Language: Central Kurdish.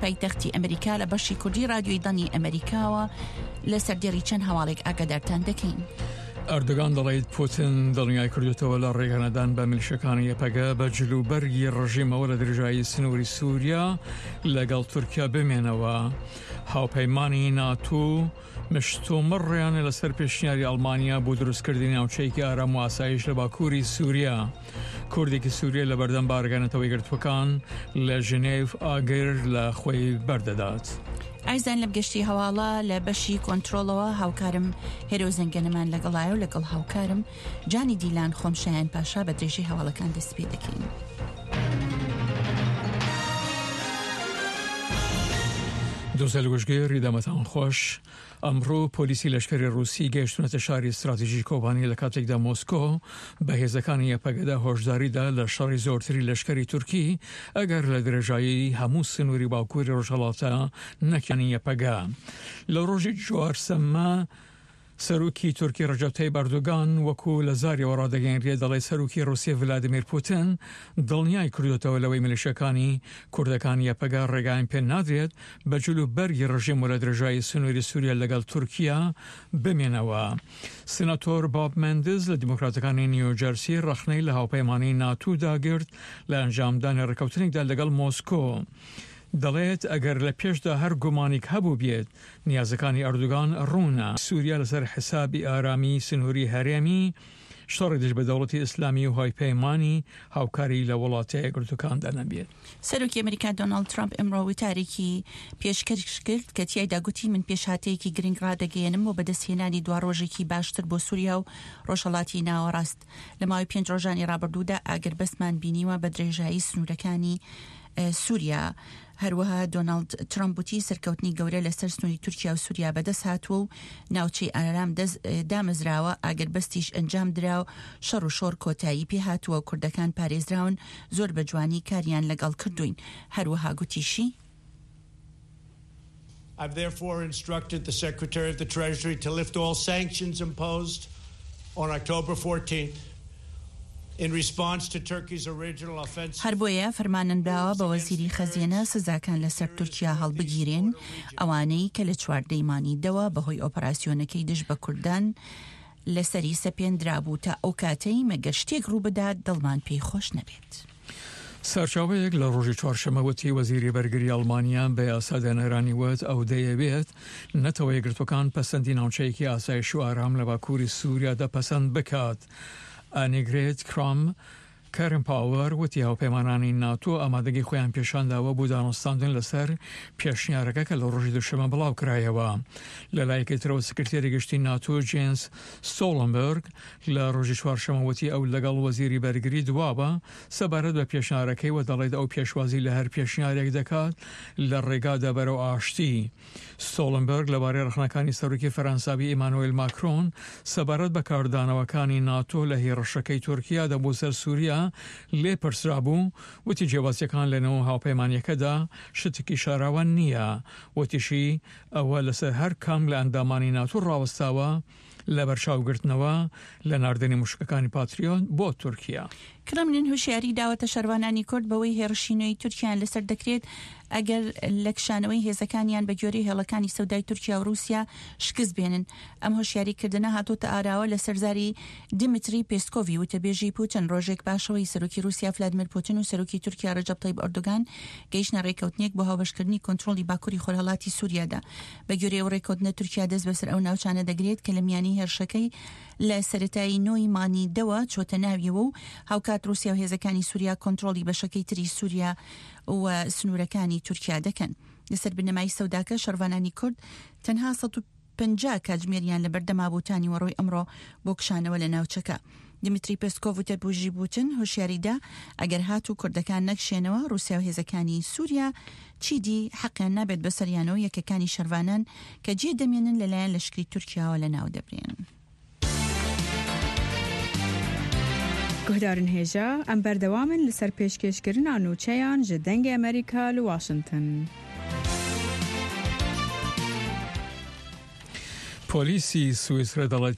پایتەختی ئەمریکا لە بەشی کوردی رادیۆی دەنگی ئەمریکاوە لە سەردێڕی چەند هەواڵێک ئاگادارتان دەکەین. ئەردۆگان دەڵێت پوتن دڵنیای کردوتەوە لە ڕێگەنەدان بە میلیشەکانی یەپەگە بە جلوبەرگی ڕژیمەوە لە درێژایی سنووری سووریا لەگەڵ تورکیا بمێنەوە. هاوپەیمانی ناتۆ مشتومڕیان لەسەر پێشنیاری ئەڵمانیا بۆ دروستکردنی ناوچەیەکی ئارام و ئاسایش لە باکووری سووریا. کوردێکی سووریە لە بەردەم بارگە نەتەوەیەکگرتووەکان لە ژنێڤ ئاگر لە خۆی بەردەدات. ئایزان لەم گەشتی هەواڵە لە بەشی کۆنتترۆڵەوە هاوکارم هێرۆ زەنگەنەمان لەگەڵایە و لەگەڵ هاوکارم جانی دیلان خۆم شایان پاشا بە درێژەی هەواڵەکان دەست پێ دەکەین. دۆزەل وشگێڕی دەمەتان خۆش ئەمڕۆ پۆلیسی لەشکری ڕووسی گەیشتونەتە شاری ستراتیژی کۆبانی لە کاتێکدا مۆسکۆ بە هێزەکانی یەپەگەدا هۆشداریدا لە شەڕی زۆرتری لەشکری تورکی ئەگەر لە درێژایی هەموو سنووری باکووری ڕۆژهەڵاتە نەکانی یەپەگە لە ڕۆژی چوارسەممە سەرۆکی تورکی ڕەجەب تەیب ئەردۆگان وەکو لە زاریەوە ڕادەگەیەنرێت دەڵێت سەرۆکی ڕوسیە ڤلادیمیر پوتن دڵنیای کردۆتەوە لەوەی میلیشیاکانی کوردەکان یەپەگە ڕێگایان پێ نادرێت بە جل و بەرگی ڕژێم و لە درێژایی سنووری سوریا لەگەڵ تورکیا بمێنەوە. سیناتۆر باب مێندز لە دیموکراتەکانی نیوجەرسی ڕەخنەی لە هاوپەیمانی ناتو داگرت لە ئەنجامدانی ڕێککەوتنێکدا لەگەڵ مۆسکۆ. دەڵێت ئەگەر لە پێشدا هەر گومانیک هەبووبێت نیازەکانی ئەردوگان ڕوونە. سوریا لەسەر حسابی ئارامی سنووری هەرێمی، شەڕی دژ بە دەوڵەتی ئیسلامی و هاوپەیمانی هاوکاری لە وڵاتە یەکگرتووەکاندا نەبێت. سەرۆکی ئەمریکا دۆناڵد ترەمپ ئەمڕۆ وتارێکی پێشکەش کرد کە تیایدا گوتی من پێشهاتەیەکی گرنگ ڕادەگەیەنم بۆ بەدەستهێنانی دواڕۆژێکی باشتر بۆ سوریا و ڕۆژهەڵاتی ناوەڕاست. لە ماوەی پێنج ڕۆژانی ڕابردوودا ئاگربەستمان بینیوە بە درێژایی سنوورەکانی سووریا. هەروەها دۆناڵد ترەمپ وتی سەرکەوتنی گەورە لەسەر سنووری تورکیا و سووریا بەدەست هاتووە و ناوچەی ئارام دامەزراوە، ئاگربەستیش ئەنجام درا و شەڕ و شۆڕ کۆتایی پێهاتووە، کوردەکان پارێزراون، زۆر بە جوانی کاریان لەگەڵ کردووین. هەروەها گوتیشی. I've therefore instructed the Secretary of the Treasury to lift all sanctions imposed on October 14th in response to Turkey's original offensive. هەر بۆیە فەرمانم داوە بە وەزیری خەزێنە سزاکان لەسەر تورکیا هەڵبگیرێن، ئەوانەی کە لە چواردەی مانگی دەوە بەهۆی ئۆپەراسیۆنەکەی دژ بە کوردان لەسەری سەپێندرابوو تا ئەو کاتەی مەگەر شتێک ڕووبدات دڵمان پێی خۆش نەبێت. سەرچاوەیەک لە ڕۆژی چوارشەممە وتی وەزیری بەرگری ئەڵمانیا بە یاسادانەرانی وت ئەو دەیەوێت نەتەوە یەکگرتووەکان پەسەندی ناوچەیەکی ئاسایش و ئارام لە باکووری سووریادا پەسەند بکات. ئانیگرێت کرام کارنپاوەر وتی هاوپەیمانانی ناتۆ ئامادەگی خۆیان پێشانداوە بۆ دانوستاندن لەسەر پێشنیارەکە کە لە ڕۆژی دووشەممە بڵاوکرایەوە. لە لایەکی ترەوە سکرتێری گشتی ناتۆ جێنس ستۆڵنبێرگ لە ڕۆژی چوارشەممە وتی ئەو لەگەڵ وەزیری بەرگری دواوە سەبارەت بە پێشنارەکەی و دەڵێت ئەو پێشوازی لە هەر پێشنیارێک دەکات لە ڕێگادا بەرەو ئاشتی. ستۆڵنبێرگ لەبارەی ڕەخنەکانی سەرۆکی فەرەنساوی ئیمانوێل ماکرۆن سەبارەت بە کاردانەوەکانی ناتۆ لە هێڕشەکەی تورکیادا بۆ سەر سوریا لێپرسرابوو، وتی جیاوازییەکان لەنێو هاوپەیمانییەکەدا شتێکی شاراوە نییە. وتیشی ئەوە لەسەر هەر کام لە ئەندامانی ناتۆ ڕاوەستاوە لەبەرچاوگرتنەوە لە ناردنی موشکەکانی پاتریۆت بۆ تورکیا. کرملین هۆشیاری داوەتە شەرڤانانی کورد بەوەی هێڕشی نوێی تورکیایان لەسەر دەکرێت ئەگەر لە کشانەوەی هێزەکانیان بە گوێرەی هێڵەکانی سەودای تورکیا و رووسیا شکست بێنن. ئەم هۆشیاری کردنە هاتۆتە ئاراوە لەسەر زاری دیمیتری پێسکۆڤی وتەبێژی پوتن ڕۆژێک پاشەوەی سەرۆکی رووسیا فلادیمیر پوتن و سەرۆکی تورکیا رەجەب تەیب ئەردۆگان گەیشتنە رێککەوتنێک بۆ هاوبەشکردنی کۆنترۆڵی باکوری خۆرهەڵاتی سوریادا. بە گوێرەی ئەو رێککەوتنە تورکیا دەست بەسەر ئەو ناوچانە دەگرێت کە لە میانی هێرشەکەی لە سەرەتای نۆی مانگی دەوە چۆتە ناویەوە و هاوکات رووسیا و هێزەکانی سوریا کۆنترۆڵی بەشەکەی تری سوریا و سنوورەکانی تورکیا دەکەن. لەسەر بنەمای سەوداکە شەڕڤانانی کورد تەنها 150 کاتژمێریان لەبەردەما بوو تا نیوەڕۆی ئەمڕۆ بۆ کشانەوە لە ناوچەکە. دیمیتری پێسکۆڤ وتەبێژی پوتن هۆشیاری دا، ئەگەر هاتوو کوردەکان نەکشێنەوە، ڕووسیا و هێزەکانی سووریا چیدی حەقیان نابێت بەسەریانەوە یەکەکانی شەرڤانان کە جێ دەمێنن لەلایەن لەشکری تورکیاوە لەناو دەبرێن. Guhdarên hêja, em berdewam in li ser pêşkêşkirina nûçeyan ji Dengê Amerîka li Washington. پۆلیسی سویسرا دەڵێت.